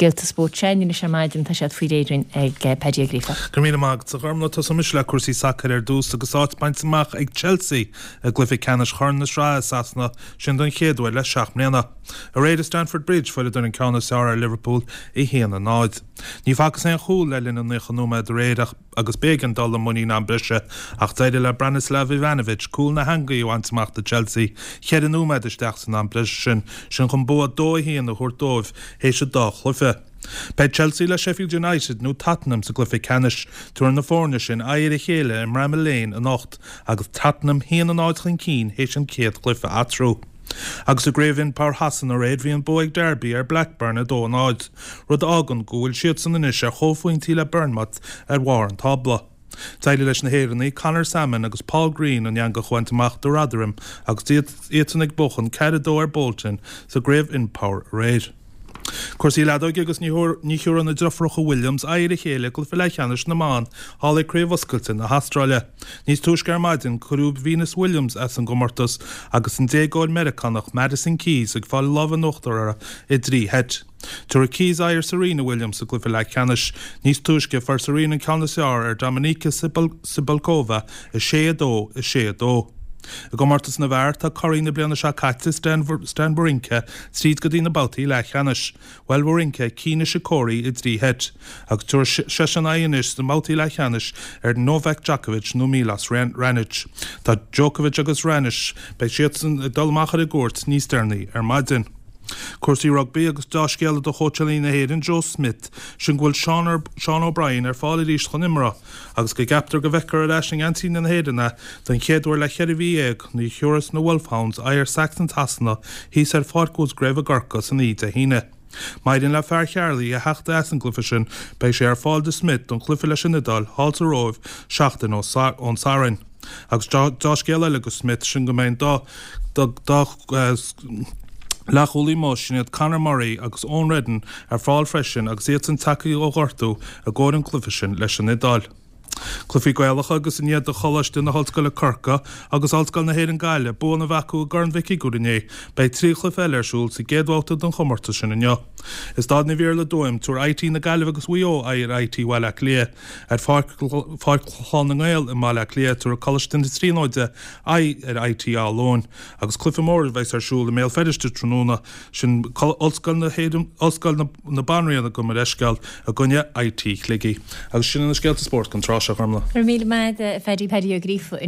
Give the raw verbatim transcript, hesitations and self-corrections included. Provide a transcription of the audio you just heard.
scéalta spóirt sin anois ar maidin tá siad faoi réir ag eh, Paddy Ó Gríofa. Go míle maith a Ghormfhlaith tosóimis le cúrsaí sacair ar dtús agus áit bainte amach ag Chelsea i gcluiche ceannais Chorn na Sraithe Sasana sin don chéad uair le seacht mbliana. Aréir i Stamford Bridge fuaireadar an ceann is fearr ar Liverpool a haon a náid. Ní facthas aon chúl le linn an naocha nóiméad aréir agus b'éigean dul i muinín am breise ach d'éirigh le Branislav Ivanovic cúl na heangaí a bhaint amach do Chelsea, ceithre nóiméad isteach san am breise sin sin chun bua dó a haon a thabhairt dóibh théis an dá chluiche. Beidh Chelsea le Sheffield United nó Tottenham sa gcluiche ceannais tabharfaidh na foirne sin aghaidh ar a chéile i mBramall Lane anocht agus Tottenham haon a náid chun cinn théis an chéad chluiche eatarthu. Agus i gCraobh Impower Shasana aréir bhí an bua ag Derby ar Blackburn a dó a náid, rud a fhágann go bhfuil siadsan anois ar chomhphointí le Bournemouth ar bharr an tábla. D'éirigh leis na hÉireannaigh Conor Sammon agus Paul Green an eangach a bhaint amach do Rotherham agus iadsan ag buachan ceathair a dó ar Bolton sa gCraobh Impower aréir. Cúrsaí leadóige agus ní thiúrfaidh na deirfiúracha Williams aghaidh ar a chéile i gcluiche leathcheannais na mban thall ag Craobh Oscailte na hAstráile. Níos túisce ar maidin cuireadh Venus Williams as an gcomórtas agus an déagóir Meiriceánach Madison Keys ag fáil lámh in uachtar uirthi i dtrí sheit. Tabharfaidh Keys aghaidh ar Serena Williams sa gcluiche leathcheannais. Níos túisce fuair Serena an ceann is fearr ar Dominika Cibulkova a sé a dó a sé a dó. I gcomórtas na bhfear tá curaidh na bliana seo caite Stan, Stan Wawrinka tríd go dtí na babhtaí leathcheannais. Bhuail Wawrinka Kei Nishikori i dtrí sheit, agus tabharfaidh seisean aghaidh anois sna babhtaí leathcheannais ar Novak Djokovic nó Milos Raonic. Tá Djokovic agus Raonic beidh siadsan ag dul amach ar an gcúirt níos deireanaí ar maidin. Cúrsaí rugbaí agus dea-scéala do chóitseálaí na hÉireann Joe Schmidt sin go bhfuil Sean, Sean O'Brien ar fáil arís chun imeartha, agus go gceaptar go bhfeicfear ar ais i ngeansaí na hÉireann é don chéad uair le ceithre mhí dhéag nuair a thiúrfas na Wolfhounds aghaidh ar Saxons Shasana thíos ar Pháirc Musgrave i gCorcaigh san oíche Dé hAoine. Má éiríonn le fear Chearlaí a theacht as an gcluiche sin, beidh sé ar fáil do Schmidt don chluiche leis an Iodáil thall sa Róimh seachtain ón Satharn. Agus dea-scéal eile do Schmidt sin go mbeidh dá dá leathchúlaí amuigh sin iad Conor Murray agus Eoin Reddan ar fáil freisin agus iadsan tagtha ó ghortú i gcomhair an chluiche sin leis an Iodáil. Cluichí Gaelacha agus i ndiaidh do Choláiste na hOllscoile Corcaigh agus Ollscoil na hÉireann Gaillimh buanna a bheith acu i gCorn Mhic Uidhir inné, beidh trí chluiche eile ar siúl sa gcéad bhabhta den chomórtas sin inniu. I Staid na bhFiarla Tuaim, tabharfaidh IT na Gaillimhe agus Mhaigh Eo aghaidh ar IT Bhaile Átha Cliath. Ar Pháirc Pháirc Chlann na nGael i mBaile Átha Cliath, tabharfaidh Coláiste na Tríonóide aghaidh ar IT Áth Luain. Agus cluiche mór a bheas ar siúl i mBéal Feirste tráthnóna sin Ollscoil na hÉireann Ollscoil na, na Banríona gabh mo leithscéal i gcoinne IT Shligigh. Agus sin na scéalta spóirt don tráth seo Gormfhlaith. Míle maith Phaddy Paddy Ó Gríofa